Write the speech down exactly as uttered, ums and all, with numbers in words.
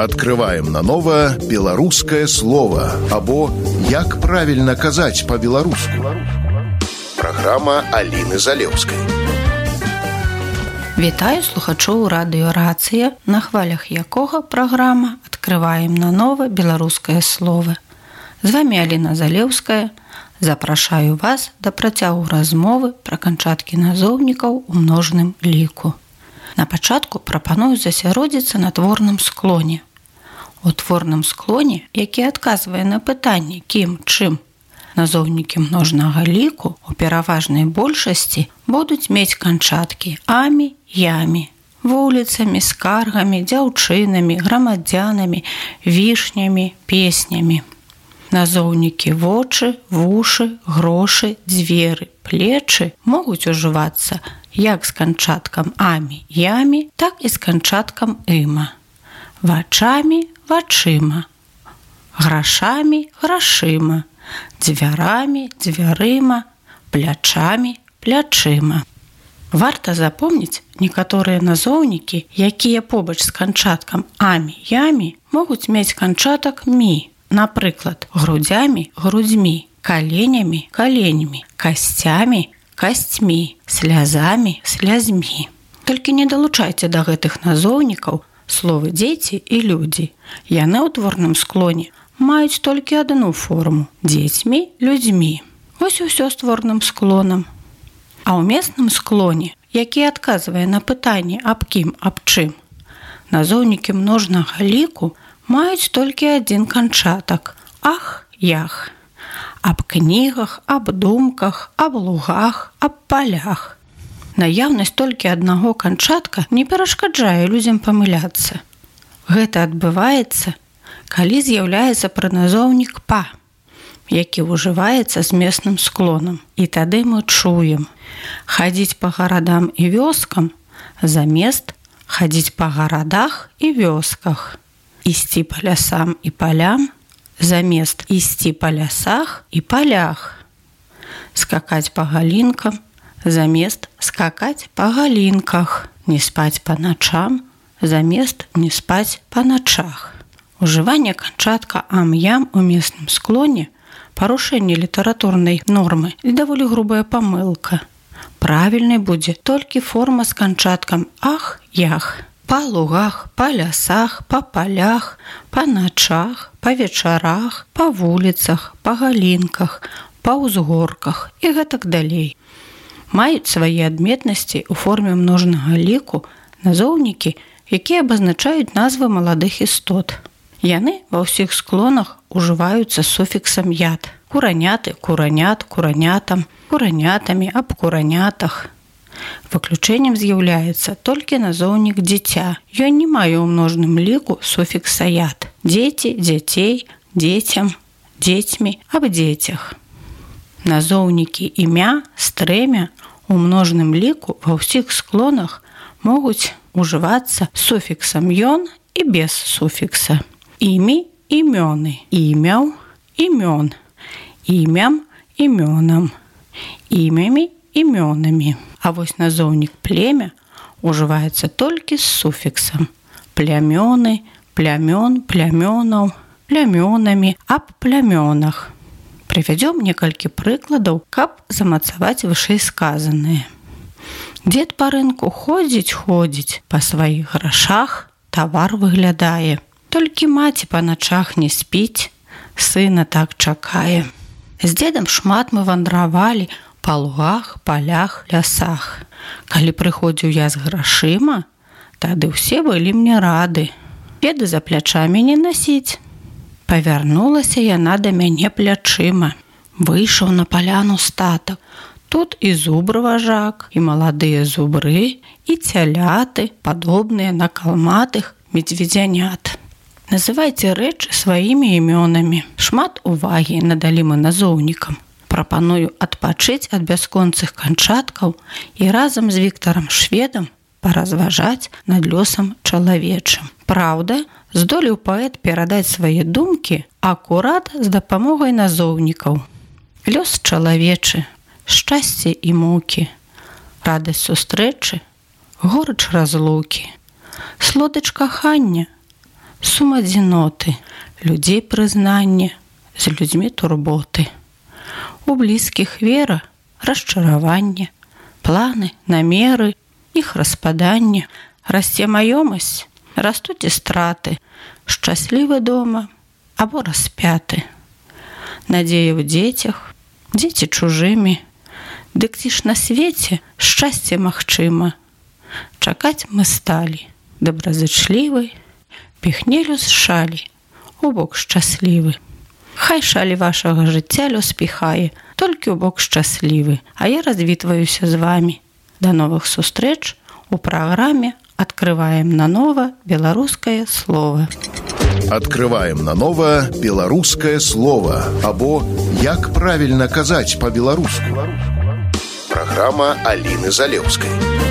Открываем наново беларускае слово або як правильно казаць по-беларуску. Программа Аліны Залеўскай. Вітаю слухачоў радыё «Рацыя», на хвалях якога праграма «Открываем наново беларускае слово». З вами Аліна Залеўская. Запрашаю вас да працягу размовы пра канчаткі назоўнікаў у множным ліку. На пачатку прапаную засяродзіцца на творным склоне. У творным склоне, які адказвае на пытанне кім, чым, назоўнікі множнага ліку у пераважнай большасці будуць мець канчаткі амі, ямі, вуліцамі, скаргамі, дзяўчынамі, грамадзянамі, вішнямі, песнямі. Назоўнікі вочы, вушы, грошы, дзверы, плечы могуць ужывацца як з канчаткам амі, ямі, так і з канчаткам ыма. Вачамі, вачыма, грашамі, грашыма, дзвярамі, дзвярыма, плячамі, плячыма. Варта запомніць некаторыя назоўнікі, якія побач з канчаткам амі, ямі могуць мець канчатак мі. Напрыклад, грудзямі, грудзьмі, каленямі, каленямі, касцямі, касцьмі, слязамі, слязьмі. Толькі не далучайце да гэтых назоўнікаў словы дзеці і людзі. Яны ў творным склоне маюць толькі адну форму – дзецьмі, людзьмі. Вось і ўсё з творным склонам. А ў месным склоне, які адказвае на пытанне аб кім, аб чым, назоўнікі множнага ліку маюць толькі адзін канчатак – ах, ях. Аб кнігах, аб думках, аб лугах, аб палях. Наяўнасць толькі аднаго канчатка не перашкаджае людзям памыляцца. Гэта адбываецца, калі з'яўляецца прыназоўнік па, які ўжываецца з месным склонам. І тады мы чуем хадзіць па гарадам і вёскам замест хадзіць па гарадах і вёсках. Ісці па лясам і палям замест ісці па лясах і палях. Скакаць па галінкам замест скакаць па галінках. Не спаць па начам замест не спаць па начах. Ужыванне канчатка ам-ям у месным склоне – парушэнне літаратурнай нормы і даволі грубая памылка. Правільнай будзе толькі форма з канчаткам ах, ях. Па лугах, па лясах, па палях, па начах, па вечарах, па вуліцах, па галінках, па ўзгорках і гэтак далей. Маюць свае адметнасці ў форме множнага ліку назоўнікі, якія абазначаюць назвы маладых істот. Яны ва ўсіх склонах ужываюцца суфіксам яд. Кураняты, куранят, куранятам, куранятамі, аб куранятах. Выключэннем з'яўляецца толькі назоўнік дзіця. Ён не мае ў множным ліку суфікса яд. Дзеці, дзяцей, дзецям, дзецьмі, аб дзецях. Назоўнікі імя, стрэмя у множным ліку ва ўсіх склонах могуць ужывацца суфіксам ён і без суфікса. Імі, імёны, імяў, імён, імям, імёнам, імямі, імёнамі. А вось назоўнік племя ужываецца толькі з суфіксам. Плямёны, плямён, плямёнаў, плямёнамі, аб плямёнах. Прывядзём некалькі прыкладаў, каб замацаваць вышэйсказанае. Дзед па рынку ходзіць, ходзіць, па сваіх грашах тавар выглядае. Толькі маці па начах не спіць, сына так чакае. З дзедам шмат мы вандравалі па лугах, палях, лясах. Калі прыходзіў я з грашыма, тады ўсе былі мне рады. Беды за плячамі не насіць. Павярнулася яна да мяне плячыма. Выйшаў на паляну статак. Тут і зубр важак, і маладыя зубры, і цяляты, падобныя на калматых медведзянят. Называйце рэчы сваімі імёнамі. Шмат увагі надалі мы назоўнікам. Прапаную адпачыць ад бясконцых канчаткаў і разам з Віктарам Шведам паразважаць над лёсам чалавечым. Праўда, здолеў паэт перадаць свае думкі акурат з дапамогай назоўнікаў. Лёс чалавечы, шчасце і мукі, радасць сустрэчы, горыч разлукі, слодыч кахання, сум адзіноты, людзей прызнанне, з людзьмі турботы. У блізкіх вера, расчараванне, планы, намеры, іх распаданне. Расце маёмасць, растуць і страты, шчаслівы дома або распяты. Надзея ў дзецях, дзеці чужымі, дык ці ж на свеце шчасце магчыма. Чакаць мы сталі, добразычлівы, піхнелю з шалі, у бок шчаслівы. Хай шалі вашага жыцця лёс піхае, толькі ў бок шчаслівы, а я развітваюся з вамі. Да новых сустрэч у праграме «Открываем наново беларускае слово». Открываем наново беларускае слово або «Як правільна казаць па-беларуску». Праграма Аліны Залеўскай.